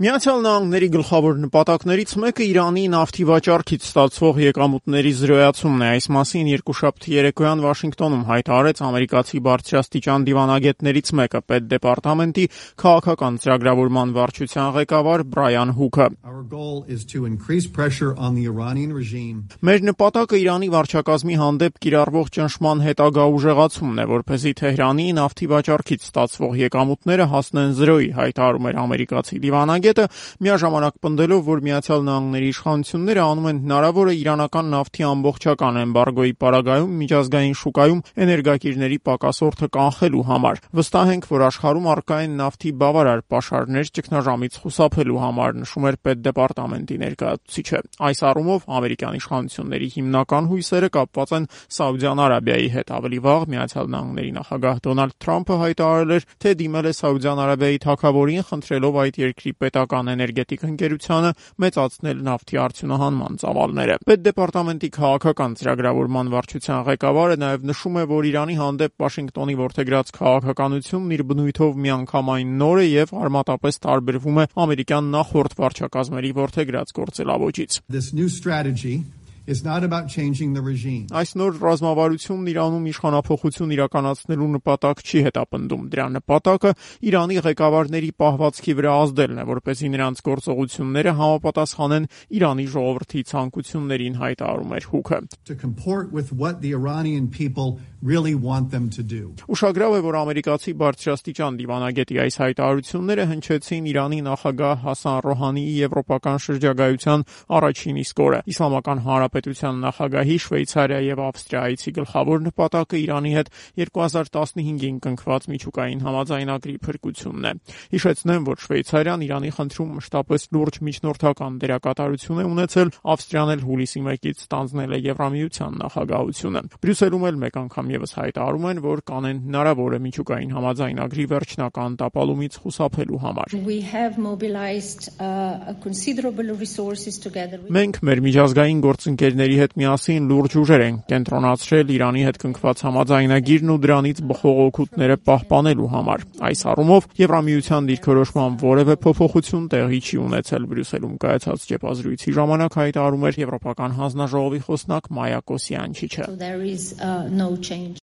Միացյալ Նահանգների գլխավոր նպատակներից մեկը Իրանի նավթի վաճառքից ստացվող եկամուտների զրոյացումն է։ Այս մասին երկուշաբթի երեկոյան Վաշինգտոնում հայտարարեց ամերիկացի բարձրաստիճան դիվանագետներից մեկը, Պետդեպարտամենտի քաղաքական ծրագրավորման վարչության ղեկավար Բրայան Հուքը։ Մեր նպատակը Իրանի վարչակազմի հանդեպ կիրառվող ճնշման հետագա ուժեղացումն է, որպեսզի Թեհրանի նավթի վաճառքից ստացվող եկամուտները հասնեն զրոյի, հայտարարում էր ամերիկացի դիվանագետը, միաժամանակ պնդելով, որ Միացյալ Նահանգների իշխանությունները անում են հնարավորը իրանական նավթի ամբողջական էմբարգոյի պարագայում միջազգային շուկայում էներգակիրների պակասորդը կանխելու համար։ Վստահ ենք, որ աշխարհում առկա են նավթի բավարար պաշարներ ճգնաժամից խուսափելու համար, նշում էր Պետդեպարտամենտի ներկայացուցիչը։ Այս առումով ամերիկյան իշխանությունների հիմնական հույսերը կապված են Սաուդյան Արաբիայի հետ։ Ավելի վաղ Միացյալ Նահանգների նախագահ Դոնալդ Թրամփը հայտարարել էր, թե դիմել է Սաուդյան Արաբիայի թագավորին, խնդրելով այդ երկրի պետական էներգետիկ ընկերությանը մեծացնել նավթի արդյունահանման ծավալները։ Պետդեպարտամենտի քաղաքական ծրագրավորման վարչության ղեկավարը նաև նշում է, որ Իրանի հանդեպ Վաշինգտոնի որդեգրած քաղաքականությունն իր բնույթով միանգամայն նոր է եւ արմատապես տարբերվում է ամերիկյան նախորդ վարչակազմերի որդեգրած գործելավոճից։ Այս նոր ռազմավարությունն Իրանում իշխանափոխություն իրականացնելու նպատակ չի հետապնդում։ Դրա նպատակը Իրանի ղեկավարների պահվածքի վրա ազդելն է, որպեսզի նրանց գործողությունները համապատասխանեն Իրանի ժողովրդի ցանկություններին, հայտարարում էր Հուքը։ Ուշագրավ է, որ ամերիկացի բարձրաստիճան դիվանագետի այս հայտարարությունները հնչեցին Իրանի նախագահ Հասան Ռոհանիի եվրոպական շրջագայության առաջին իսկ օրը։ Իսլամական Հանրապետության նախագահի Շվեյցարիա եւ Ավստրիայցի գլխավոր նպատակը Իրանի հետ 2015-ին կնքված միջուկային համաձայնագրի փրկությունն է։ Հիշեցնեմ, որ Շվեյցարիան Իրանի խնդրում մշտապես լուրջ միջնորդական դերակատարություն է ունեցել, Ավստրիան էլ հուլիսի 1-ից ստանձնել է Եվրամիության նախագահությունը։ Բրյուսելում էլ մեկ անգամ եւս հայտարարում են, որ կանեն հնարավոր է միջուկային համաձայնագրի վերջնական տապալումից խուսափելու համար։ Մենք մեր միջազգային գործընկերների հետ միասին լուրջ ուժեր ենք կենտրոնացրել Իրանի հետ կնքված համաձայնագիրն ու դրանից բխող օգուտները պահպանելու համար։ Այս առումով Եվրամիության դիրքորոշման որևէ փոփոխություն տեղի չի ունեցել, Բրյուսելում կայացած ճեպազրույցի ժամանակ հայտարարում էր Եվրոպական հանձնաժողովի խոսնակ Մայա Կոսյանչիչը։